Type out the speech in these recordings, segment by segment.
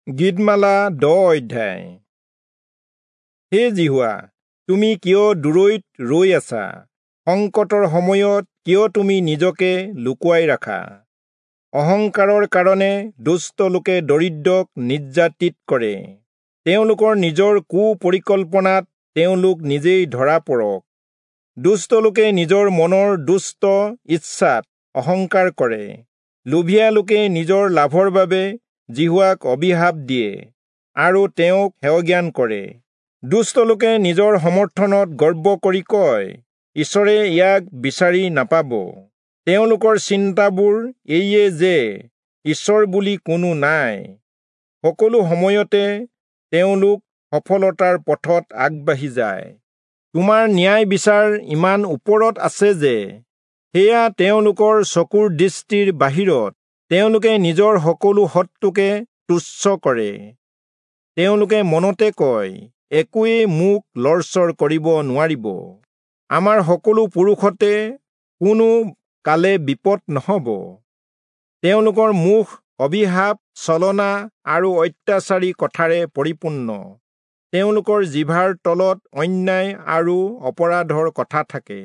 গীতমালা 10 অধ্যায়। হে যিহোৱা, তুমি কিয় দূৰৈত ৰৈ আছা? সংকটৰ সময়ত কিয় তুমি নিজকে লুকুৱাই ৰাখা? অহংকাৰৰ কাৰণে দুষ্ট লোকে দৰিদ্ৰক নিৰ্যাতিত কৰে। তেওঁলোকৰ নিজৰ কুপৰিকল্পনাত তেওঁলোক নিজেই ধৰা পৰক। দুষ্ট লোকে নিজৰ মনৰ দুষ্ট ইচ্ছাত অহংকাৰ কৰে। লোভীয়া লোকে নিজৰ লাভৰ বাবে যিহোৱাক অভিশাপ দিয়ে আৰু তেওঁক হেয়জ্ঞান কৰে। দুষ্ট লোকে নিজৰ সমৰ্থনত গৰ্ব কৰি কয়, ঈশ্বৰে ইয়াক বিচাৰি নাপাব। তেওঁলোকৰ চিন্তাবোৰ এইয়ে যে ঈশ্বৰ বুলি কোনো নাই। সকলো সময়তে তেওঁলোক সফলতাৰ পথত আগবাঢ়ি যায়। তোমাৰ ন্যায় বিচাৰ ইমান ওপৰত আছে যে সেয়া তেওঁলোকৰ চকুৰ দৃষ্টিৰ বাহিৰত। তেওঁলোকে নিজৰ সকলো শত্ৰুকে তুচ্ছ কৰে। তেওঁলোকে মনতে কয়, একোৱেই মোক লৰচৰ কৰিব নোৱাৰিব। আমাৰ সকলো পুৰুষতে কোনো কালে বিপদ নহ'ব। তেওঁলোকৰ মুখ অভিশাপ, ছলনা আৰু অত্যাচাৰী কথাৰে পৰিপূৰ্ণ। তেওঁলোকৰ জিভাৰ তলত অন্যায় আৰু অপৰাধৰ কথা থাকে।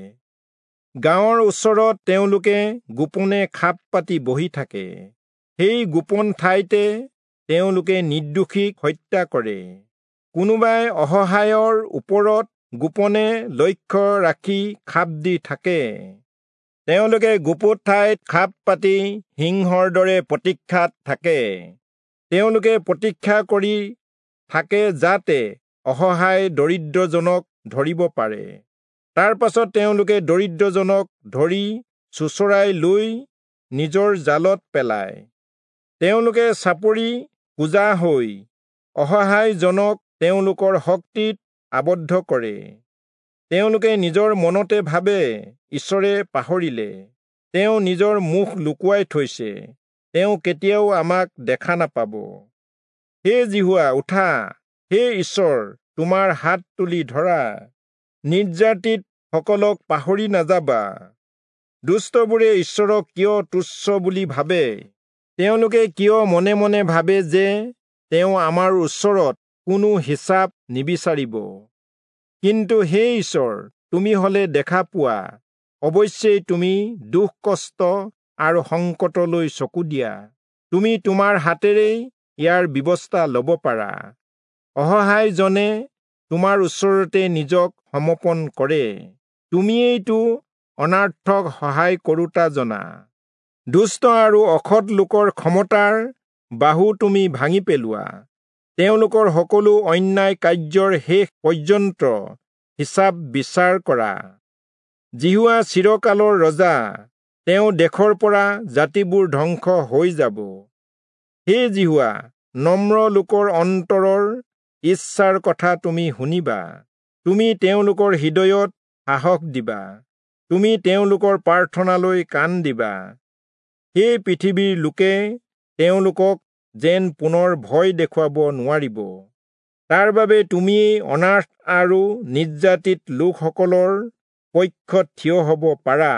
গাঁৱৰ ওচৰত তেওঁলোকে গোপনে খাপ পাতি বহি থাকে। সেই গোপন ঠাইতে তেওঁলোকে নিৰ্দোষীক হত্যা কৰে। কোনোবাই অসহায়ৰ ওপৰত গোপনে লক্ষ্য ৰাখি খাপ দি থাকে। তেওঁলোকে গুপুত ঠাইত খাপ পাতি সিংহৰ দৰে প্ৰতীক্ষাত থাকে। তেওঁলোকে প্ৰতীক্ষা কৰি থাকে যাতে অসহায় দৰিদ্ৰজনক ধৰিব পাৰে। তাৰ পাছত তেওঁলোকে দৰিদ্ৰজনক ধৰি চোঁচৰাই লৈ নিজৰ জালত পেলায়। তেওঁলোকে চাপৰি কুঁজা হৈ অসহায়জনক তেওঁলোকৰ শক্তিত আবদ্ধ কৰে। তেওঁলোকে নিজৰ মনতে ভাবে, ঈশ্বৰে পাহৰিলে, তেওঁ নিজৰ মুখ লুকুৱাই থৈছে, তেওঁ কেতিয়াও আমাক দেখা নাপাব। হে যিহোৱা, উঠা! হে ঈশ্বৰ, তোমাৰ হাত তুলি ধৰা! নিৰ্যাতিত সকলক পাহৰি নাযাবা। দুষ্টবোৰে ঈশ্বৰক কিয় তুচ্ছ বুলি ভাবে? তেওঁলোকে কিয় মনে মনে ভাবে যে তেওঁ আমাৰ ওচৰত কোনো হিচাপ নিবিচাৰিব? কিন্তু হে ঈশ্বৰ, তুমি হলে দেখা পোৱা, অৱশ্যেই তুমি দুখ কষ্ট আৰু সংকটলৈ চকু দিয়া। তুমি তোমাৰ হাতেৰেই ইয়াৰ ব্যৱস্থা ল'ব পাৰা। অসহায়জনে তোমাৰ ওচৰতে নিজক সমৰ্পণ কৰে। তুমিয়েইতো অনাৰ্থক সহায় কৰোতা জনা। দুষ্ট আৰু অসৎ লোকৰ ক্ষমতাৰ বাহু তুমি ভাঙি পেলোৱা। তেওঁলোকৰ সকলো অন্যায় কাৰ্যৰ শেষ পৰ্যন্ত হিচাপ বিচাৰ কৰা। যিহোৱা চিৰকালৰ ৰজা, তেওঁ দেশৰ পৰা জাতিবোৰ ধ্বংস হৈ যাব। হে যিহোৱা, নম্ৰ লোকৰ অন্তৰৰ ইচ্ছাৰ কথা তুমি শুনিবা। তুমি তেওঁলোকৰ হৃদয়ত সাহস দিবা। তুমি তেওঁলোকৰ প্ৰাৰ্থনালৈ কাণ দিবা। সেই পৃথিৱীৰ লোকে তেওঁলোকক যেন পুনৰ ভয় দেখুৱাব নোৱাৰিব। তাৰ বাবে তুমিয়েই অনাথ আৰু নিৰ্যাতিত লোকসকলৰ পক্ষত থিয় হ'ব পাৰা।